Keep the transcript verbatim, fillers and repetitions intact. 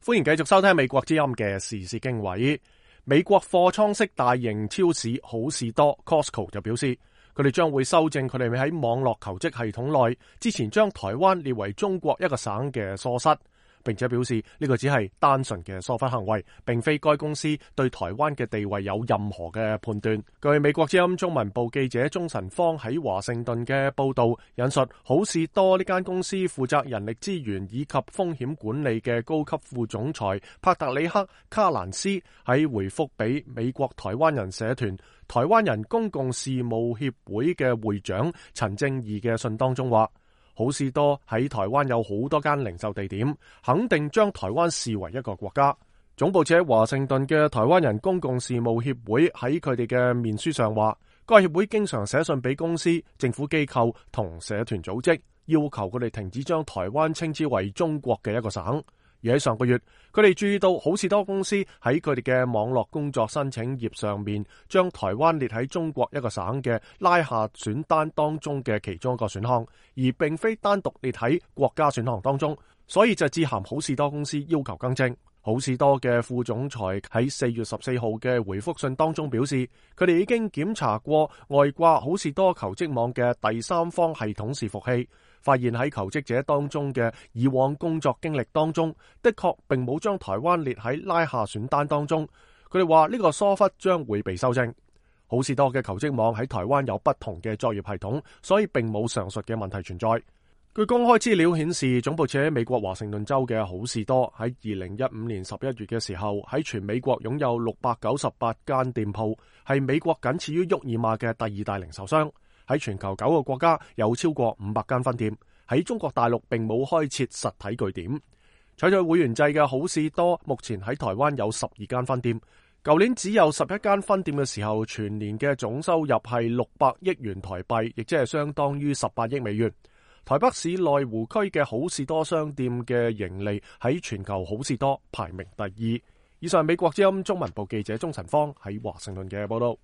歡迎繼續收聽美國之音嘅時事經緯。美國貨倉式大型超市好事多 Costco 就表示，佢哋將會修正佢哋喺網絡求職系統內之前將台灣列為中國一個省嘅疏失，並且表示呢個只係單純嘅疏忽行為，並非該公司對台灣嘅地位有任何嘅判斷。據美國之音中文部記者鍾晨芳喺華盛頓嘅報道引述，好事多呢間公司負責人力資源以及風險管理嘅高級副總裁帕特里克卡蘭斯喺回覆俾美國台灣人社團台灣人公共事務協會嘅會長陳正義嘅信當中話，好事多喺台灣有好多間零售地點，肯定將台灣視為一個國家。總部設喺華盛頓嘅台灣人公共事務協會喺佢哋嘅面書上話，該協會經常寫信俾公司、政府機構同社團組織，要求佢哋停止將台灣稱之為中國嘅一個省。而喺上個月，佢哋注意到好事多公司喺佢哋嘅網絡工作申請頁上面，將台灣列喺中國一個省嘅拉下選單當中嘅其中一個選項，而並非單獨列喺國家選項當中，所以就致函好事多公司要求更正。好事多嘅副總裁喺四月十四號嘅回覆信當中表示，佢哋已經檢查過外掛好事多求職網嘅第三方系統伺服器，發現喺求職者當中嘅以往工作經歷當中，的確並冇將台灣列喺拉下選單當中。佢哋話呢個疏忽將會被修正。好事多嘅求職網喺台灣有不同嘅作業系統，所以並冇上述嘅問題存在。據公開資料顯示，總部設喺美國華盛頓州嘅好事多喺二零一五年十一月嘅時候，喺全美國擁有六百九十八間店鋪，係美國僅次於沃爾瑪嘅第二大零售商。喺全球九個國家有超過五百間分店。喺中國大陸並冇開設實體據點。採取會員制嘅好事多目前喺台灣有十二間分店。舊年只有十一間分店嘅時候，全年嘅總收入係六百億元台幣，亦即係相當於十八億美元。台北市內湖區嘅好事多商店嘅盈利喺全球好事多排名第二。以上美國之音中文部記者鍾晨芳喺華盛頓嘅報道。